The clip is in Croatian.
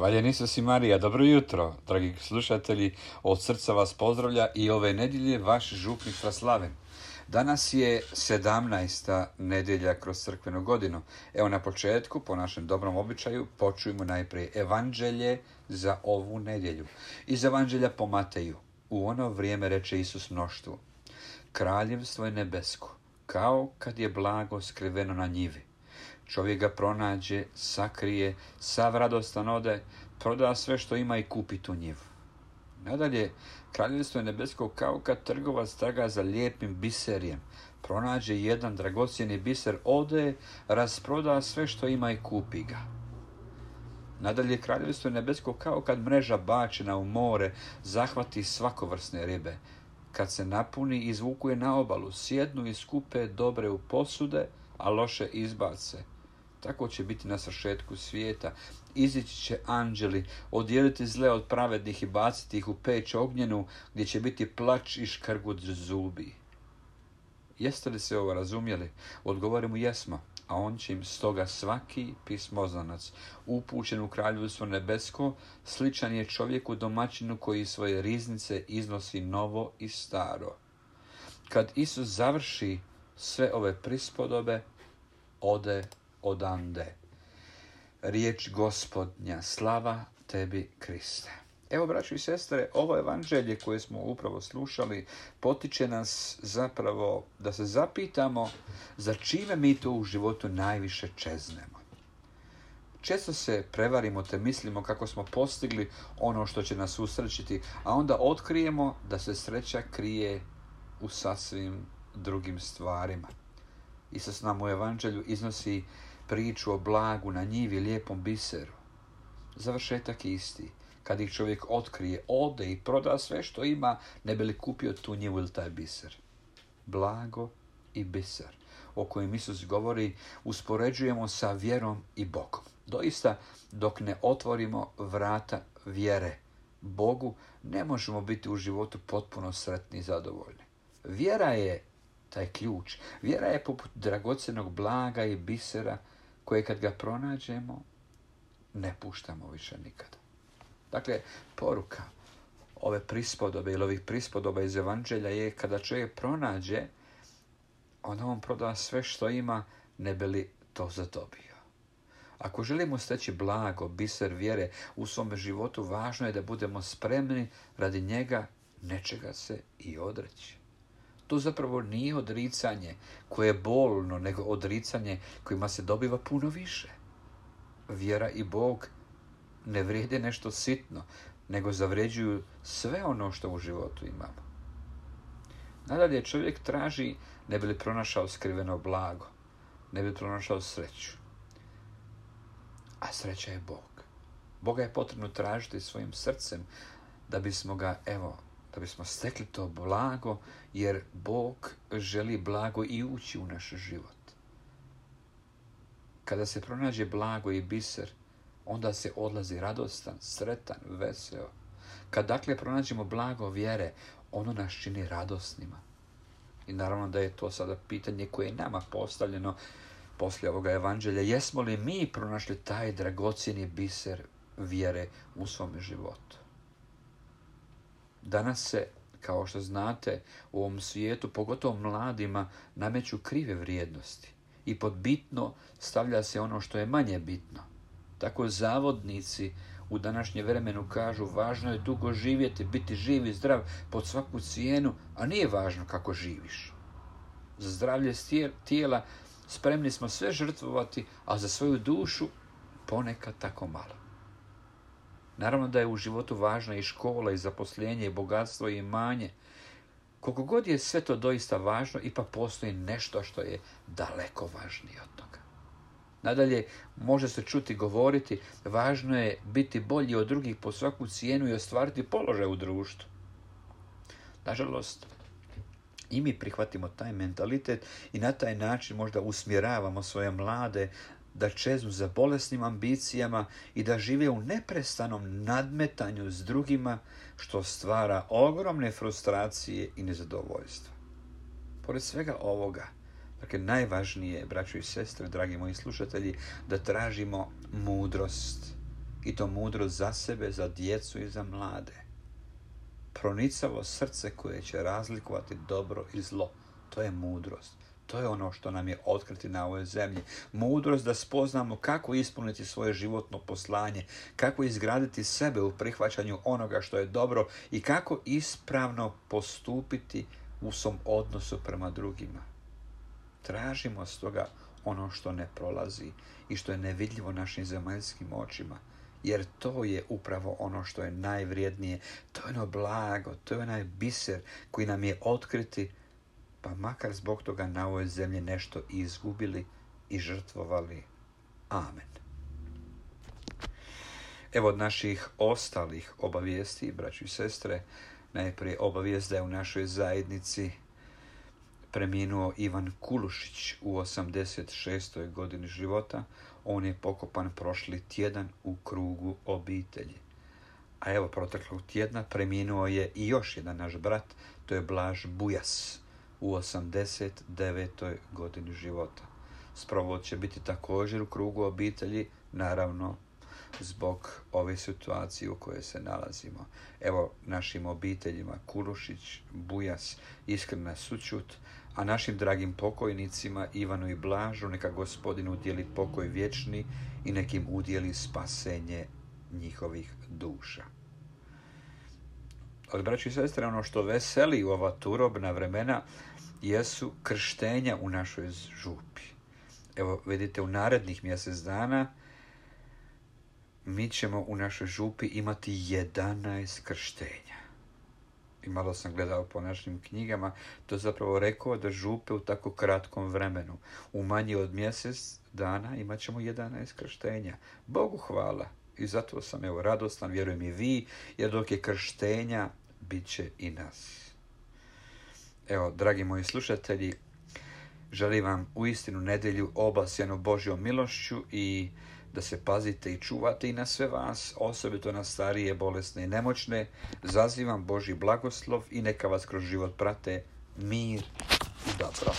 Hvaljen Isus i Marija, dobro jutro, dragi slušatelji, od srca vas pozdravlja i ove nedjelje vaš župnik Fraslaven. Danas je 17. nedjelja kroz crkvenu godinu. Evo na početku, po našem dobrom običaju, počujemo najprije evanđelje za ovu nedjelju. Iz evanđelja po Mateju. U ono vrijeme reče Isus mnoštvu: Kraljevstvo je nebesko, kao kad je blago skriveno na njivi. Čovjek ga pronađe, sakrije, sav radostan ode, proda sve što ima i kupi tu njivu. Nadalje, kraljevstvo je nebesko kao kad trgovac traga za lijepim biserijem. Pronađe jedan dragocjeni biser, ode, rasproda sve što ima i kupi ga. Nadalje, kraljevstvo je nebesko kao kad mreža bačena u more zahvati svakovrsne ribe. Kad se napuni, izvuku je na obalu, sjednu i skupe dobre u posude, a loše izbace. Tako će biti na svršetku svijeta. Izići će anđeli, odijeliti zle od pravednih i baciti ih u peć ognjenu, gdje će biti plač i škrgut zubi. Jeste li se ovo razumjeli? Odgovore mu jesmo, a on će im stoga svaki pismoznanac upućen u kraljevstvo nebesko sličan je čovjeku domaćinu koji svoje riznice iznosi novo i staro. Kad Isus završi sve ove prispodobe, ode odande. Riječ Gospodnja, slava tebi, Kriste. Evo, braćo i sestre, ovo evanđelje koje smo upravo slušali potiče nas zapravo da se zapitamo za čime mi to u životu najviše čeznemo. Često se prevarimo te mislimo kako smo postigli ono što će nas usrećiti, a onda otkrijemo da se sreća krije u sasvim drugim stvarima. Isus nam u evanđelju iznosi priču o blagu na njivi, lijepom biseru. Završetak je isti. Kad ih čovjek otkrije, ode i proda sve što ima, ne bi li kupio tu njivu ili taj biser. Blago i biser, o kojem Isus govori, uspoređujemo sa vjerom i Bogom. Doista, dok ne otvorimo vrata vjere Bogu, ne možemo biti u životu potpuno sretni i zadovoljni. Vjera je taj ključ. Vjera je poput dragocjenog blaga i bisera koje kad ga pronađemo, ne puštamo više nikada. Dakle, poruka ove prispodobe ili ovih prispodoba iz evanđelja je kada čovjek pronađe, onda on proda sve što ima, ne bi li to zadobio. Ako želimo steći blago, biser vjere u svome životu, važno je da budemo spremni radi njega nečega se i odreći. To zapravo nije odricanje koje je bolno, nego odricanje kojima se dobiva puno više. Vjera i Bog ne vrijede nešto sitno, nego zavređuju sve ono što u životu imamo. Nadalje, čovjek traži ne bi li pronašao skriveno blago, ne bi li pronašao sreću. A sreća je Bog. Boga je potrebno tražiti svojim srcem da bismo da bismo stekli to blago, jer Bog želi blago i ući u naš život. Kada se pronađe blago i biser, onda se odlazi radostan, sretan, veseo. Kad dakle pronađemo blago vjere, ono nas čini radosnima. I naravno da je to sada pitanje koje je nama postavljeno poslije ovoga evanđelja. Jesmo li mi pronašli taj dragocjeni biser vjere u svome životu? Danas se, kao što znate, u ovom svijetu, pogotovo mladima, nameću krive vrijednosti i pod bitno stavlja se ono što je manje bitno. Tako zavodnici u današnje vremenu kažu važno je dugo živjeti, biti živ i zdrav pod svaku cijenu, a nije važno kako živiš. Za zdravlje tijela spremni smo sve žrtvovati, a za svoju dušu ponekad tako malo. Naravno da je u životu važna i škola, i zaposlenje, i bogatstvo, i imanje. Koliko god je sve to doista važno, ipak postoji nešto što je daleko važnije od toga. Nadalje, može se čuti govoriti, važno je biti bolji od drugih po svaku cijenu i ostvariti položaj u društvu. Nažalost, i mi prihvatimo taj mentalitet i na taj način možda usmjeravamo svoje mlade da čeznu za bolesnim ambicijama i da žive u neprestanom nadmetanju s drugima, što stvara ogromne frustracije i nezadovoljstva. Pored svega ovoga, dakle, najvažnije, braćo i sestre, dragi moji slušatelji, da tražimo mudrost. I to mudrost za sebe, za djecu i za mlade. Pronicavo srce koje će razlikovati dobro i zlo. To je mudrost. To je ono što nam je otkriti na ovoj zemlji. Mudrost da spoznamo kako ispuniti svoje životno poslanje, kako izgraditi sebe u prihvaćanju onoga što je dobro i kako ispravno postupiti u svom odnosu prema drugima. Tražimo stoga ono što ne prolazi i što je nevidljivo našim zemaljskim očima, jer to je upravo ono što je najvrijednije, to je ono blago, to je onaj biser koji nam je otkriti, pa makar zbog toga na ovoj zemlji nešto izgubili i žrtvovali. Amen. Evo od naših ostalih obavijesti, braćo i sestre, najprije obavijest da je u našoj zajednici preminuo Ivan Kulušić u 86. godini života. On je pokopan prošli tjedan u krugu obitelji. A evo proteklog tjedna preminuo je i još jedan naš brat, to je Blaž Bujas u 89. godini života. Sprovod će biti također u krugu obitelji, naravno zbog ove situacije u kojoj se nalazimo. Evo našim obiteljima Kulušić, Bujas, iskrena sućut, a našim dragim pokojnicima Ivanu i Blažu neka Gospodin udjeli pokoj vječni i nekim udjeli spasenje njihovih duša. Ali, braći i sestre, ono što veseli u ova turobna vremena jesu krštenja u našoj župi. Evo, vidite, u narednih mjesec dana mi ćemo u našoj župi imati 11 krštenja. I malo sam gledao po našim knjigama, to zapravo rekao da župe u tako kratkom vremenu, u manje od mjesec dana imat ćemo 11 krštenja. Bogu hvala. I zato sam radostan, vjerujem i vi, jer dok je krštenja, bit će i nas. Evo, dragi moji slušatelji, želim vam uistinu nedjelju obasjanu Božjom milošću i da se pazite i čuvate i na sve vas, osobito na starije, bolesne i nemoćne. Zazivam Božji blagoslov i neka vas kroz život prate mir i dobro.